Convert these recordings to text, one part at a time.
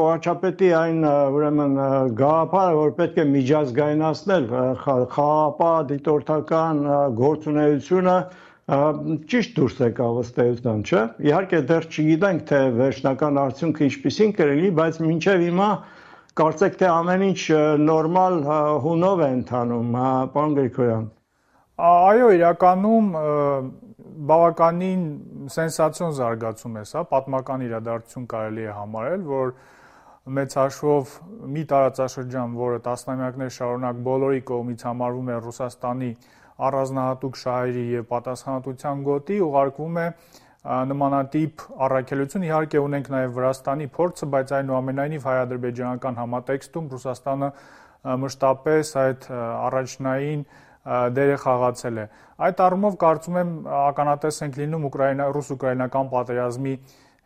Վարչապետի այն ուրեմն գաղափարը, որ պետք է միջազգայնացնել խաղաղապահ դիտորդական գործունեությունը, ճիշտ դուրս եկավ ըստ էության, չէ՞։ Իհարկե դեռ չգիտենք, թե վերջնական արդյունքը ինչպիսին կլինի, բայց մինչև հիմա կարծեք թե ամեն ինչ նորմալ հունով է ընթանում, պարոն Գրիգորյան։ Այո, իրականում բավականին սենսացիոն զարգացում է սա, պատմական իրադարձություն կարելի է համարել, որ մեծ հաշվով մի տարածաշրջան, որը տասնամյակներ շարունակ բոլորի կողմից համարվում է Ռուսաստանի առանձնահատուկ շահերի եւ պատասխանատվության գոտի, ուղարկվում է նմանատիպ առաքելություն, իհարկե ունենք նաև Վրաստանի փորձը, բայց այնուամենայնիվ հայ-ադրբեջանական համատեքստում Ռուսաստանը մշտապես այդ առաջնային դերը խաղացել է։ Այդ առումով կարծում եմ ականատես ենք լինում ռուս-ուկրաինական պատերազմի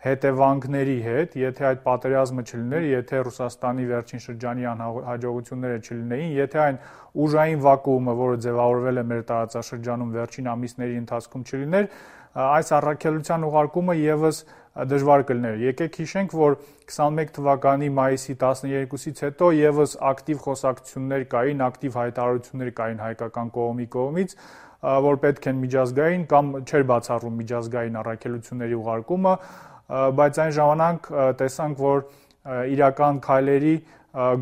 հետևանքների հետ, եթե այդ պատերազմը չլիներ, եթե Ռուսաստանի վերջին շրջանի անհաջողությունները չլինեին, եթե այն ուժային վակուումը, որը ձևավորվել է մեր տարածաշրջանում վերջին ամիսների ընթացքում չլիներ, այս առաքելության ուղարկումը եւս դժվար կլիներ։ Եկեք հիշենք, որ 21 թվականի մայիսի 12-ից հետո եւս ակտիվ խոսակցություններ կային, ակտիվ հայտարարություններ կային հայկական կողմի կողմից, որ պետք են միջազգային կամ չէր բացառվում միջազգային առաքելությունների ուղարկումը, բայց այն ժամանակ տեսանք, որ իրական քայլերի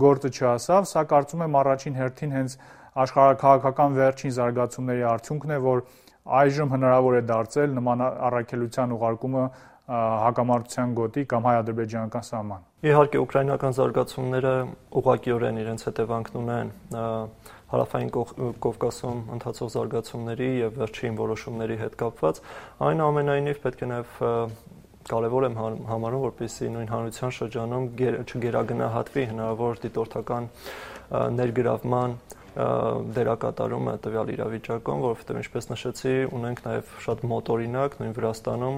գործը չհասավ, սա կարծում եմ առաջին հերթին հենց աշխարհաքաղաքական վերջին զարգացումների արդյունքն է, որ այժմ հնարավոր է դարձել նման առաքելության ուղարկումը հակամարտության գոտի կամ հայ-ադրբեջանական սահման։ Իհարկե ուկրաինական զարգացումները ուղղակիորեն իրենց հետևանքն ունեն հարավային Կովկասում ընթացող զարգացումների եւ վերջին որոշումների հետ կապված, այնուամենայնիվ պետք է նաեւ կարևոր եմ համարում, որպեսզի նույն հանրության շրջանում չգերագնահատվի հնարավոր դիտորդական ներգրավման դերակատարումը տվյալ իրավիճակում, որովհետև ինչպես նշեցի, ունենք նաև շատ մոտօրինակ նույն Վրաստանում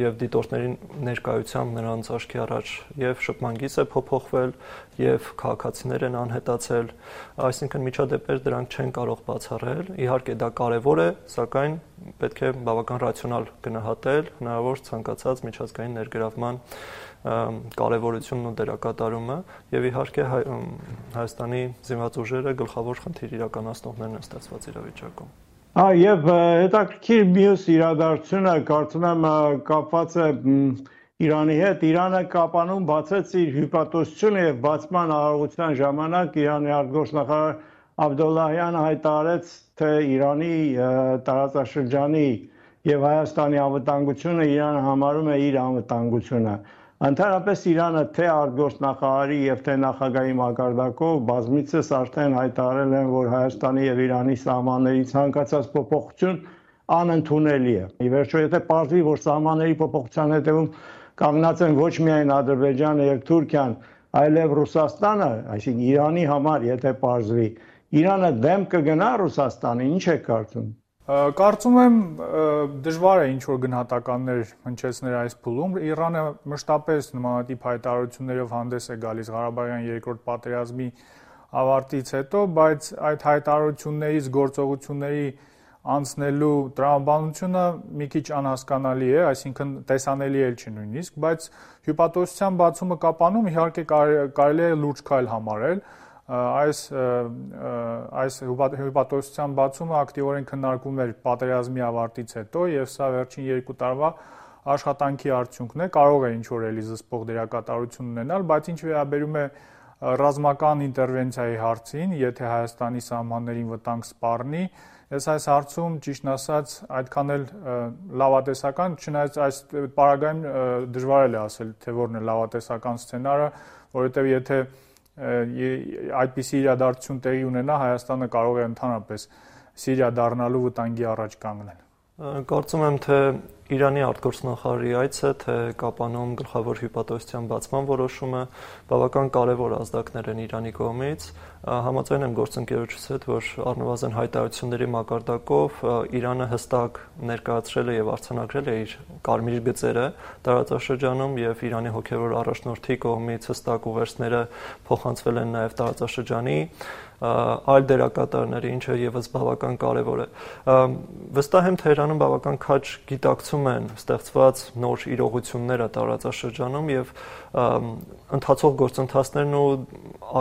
եւ դիտորդների ներկայությամբ նրանց աչքի առաջ եւ շփման գիծ է փոփոխվել եւ քաղաքացիներ են անհետացել, այսինքն միջադեպեր դրանք չեն կարող բացառել, իհարկե դա կարևոր է, սակայն պետք է բավական ռացիոնալ գնահատել հնարավոր ցանկացած միջազգային ներգրավման կարևորությունն ու դերակատարումը եւ իհարկե Հայաստանի զինված ուժերը գլխավոր խնդիր իրականացնողներն են ստացված իրավիճակում։ Եվ հետաքրքիր մյուս իրադարձությունը կարծում եմ կապված է Իրանի հետ։ Իրանը Կապանում բացեց իր հյուպատոսությունը եւ բացման արարողության ժամանակ Իրանի արտգործնախարար Աբդոլլահյանը հայտարարեց, թե Իրանի տարածաշրջանի եւ Հայաստանի անվտանգությունը Իրանը համարում է իր անվտանգությունը։ Ընդհանրապես Իրանը թե արտգործնախարարի եւ թե նախագահի մակարդակով բազմիցս արդեն հայտարարել են, որ Հայաստանի եւ Իրանի սահմանների ցանկացած փոփոխություն անընդունելի է։ Ի վերջո, եթե պարզվի, որ սահմանների փոփոխության հետևում կանգնած են ոչ միայն Ադրբեջանը եւ Թուրքիան, այլև Ռուսաստանը, այսինքն Իրանի համար, եթե պարզվի, Իրանը դեմ կգնա Ռուսաստանին, ինչ է կարծում։ Կարծում եմ դժվար է ինչ-որ գնահատականներ հնչեցնել այս փուլում։ Իրանը մշտապես նմանատիպ հայտարարություններով հանդես է գալիս Ղարաբաղյան երկրորդ պատերազմի ավարտից հետո, բայց այդ հայտարարություններից գործողությունների անցնելու տրամաբանությունը մի քիչ անհասկանալի է, այսինքն տեսանելի էլ չի նույնիսկ, բայց հյուպատոսության բացումը Կապանում իհարկե կարելի է լուրջ քայլ համարել։ Այս հյուպատոսության բացումը ակտիվորեն քննարկվում էր պատերազմի ավարտից հետո եւ սա վերջին 2 տարվա աշխատանքի արդյունքն է, կարող է ինչ-որ էլի զսպող դերակատարություն ունենալ, բայց ինչ վերաբերում է ռազմական ինտերվենցիայի հարցին, եթե Հայաստանի սահմաններին վտանգ սպառնի, ես այս հարցում ճիշտն ասած այդքան էլ լավատեսական, չնայած այս պարագայում դժվար է ասել, թե որն է լավատեսական սցենարը, որովհետեւ եթե այդպիսի իրադարձություն տեղի ունենա, Հայաստանը կարող է ընդհանրապես Սիրիա դառնալու վտանգի առաջ կանգնել։ Կարծում եմ, թե Իրանի արտգործնախարարի այցը, թե Կապանում գլխավոր հյուպատոսության բացման որոշումը բավական կարևոր ազդակներ են Իրանի կողմից։ Համաձայն եմ գործընկերոջս հետ, որ առնվազն հայտարարությունների մակարդակով Իրանը հստակ ներկայացրել է եւ արձանագրել է իր կարմիր գծերը տարածաշրջանում եւ Իրանի հոգեվոր առաջնորդի կողմից հստակ ուղերձները փոխանցվել են նաեւ տարածաշրջանի այլ դերակատարների, ինչը եւս բավական կարեւոր է։ Վստահ եմ Թեհրանում բավական քաջ գիտակցում են ստեղծված նոր իրողությունները տարածաշրջանում եւ ընթացող գործընթացներն ու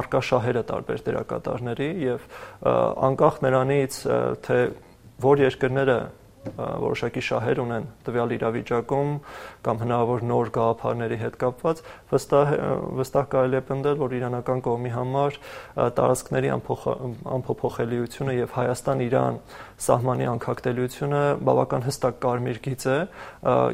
արկա շահերը տարբեր դերակատարների եւ անկախ նրանից թե որ երկրները որոշակի շահեր ունեն տվյալ իրավիճակում կամ հնարավոր նոր գաղափարների հետ կապված, վստահ կարելի է պնդել, որ իրանական կողմի համար տարածքների անփոփոխելիությունը եւ Հայաստան-Իրան սահմանի անկախտելիությունը բավական հստակ կարմիր գիծ է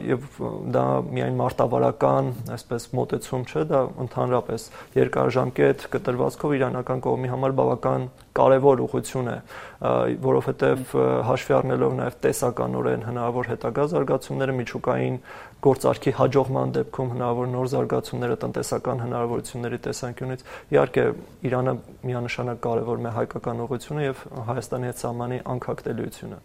եւ դա միայն մարտավարական, այսպես մոտեցում չէ, դա ընդհանրապես երկարաժամկետ կտրվածքով իրանական կողմի համար բավական կարևոր ուղղություն է, որովհետեւ հաշվի առնելով նաեւ տեսականորեն հնարավոր հետագա զարգացումները միջուկային գործարքի հաջողման դեպքում հնարավոր նոր զարգացումները տնտեսական հնարավորությունների տեսանկյունից իհարկե Իրանը միանշանակ կարևորում է հայկական ուղղությունը եւ Հայաստանի հետ սահմանի անկախտելիությունը։